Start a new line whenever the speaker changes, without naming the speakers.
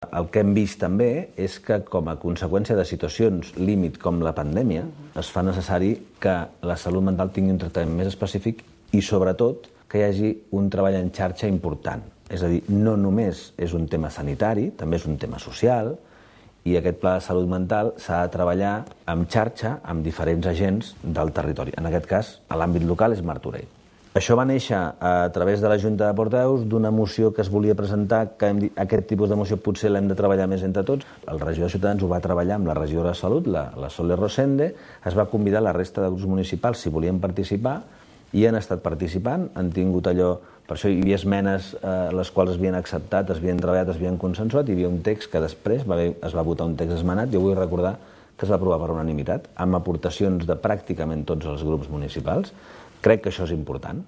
El que hem vist també és que, com a conseqüència de situacions límit com la pandèmia, es fa necessari que la salut mental tingui un tractament més específic i, sobretot, que hi hagi un treball en xarxa important. És a dir, no només és un tema sanitari, també és un tema social, i aquest pla de salut mental s'ha de treballar en xarxa amb diferents agents del territori. En aquest cas, a l'àmbit local és Martorell. Això va néixer a través de la Junta de Portaveus d'una moció que es volia presentar, que hem dit, aquest tipus de moció potser l'hem de treballar més entre tots. El regidor de Ciutadans ho va treballar amb la regidora de Salut, la Sole Rosende, es va convidar la resta de grups municipals si volien participar i han estat participant, han tingut allò, per això hi havia esmenes les quals es havien acceptat, es havien treballat, es havien consensuat, hi havia un text que després es va votar un text esmenat. Jo vull recordar que es va aprovar per unanimitat, amb aportacions de pràcticament tots els grups municipals. Crec que això és important.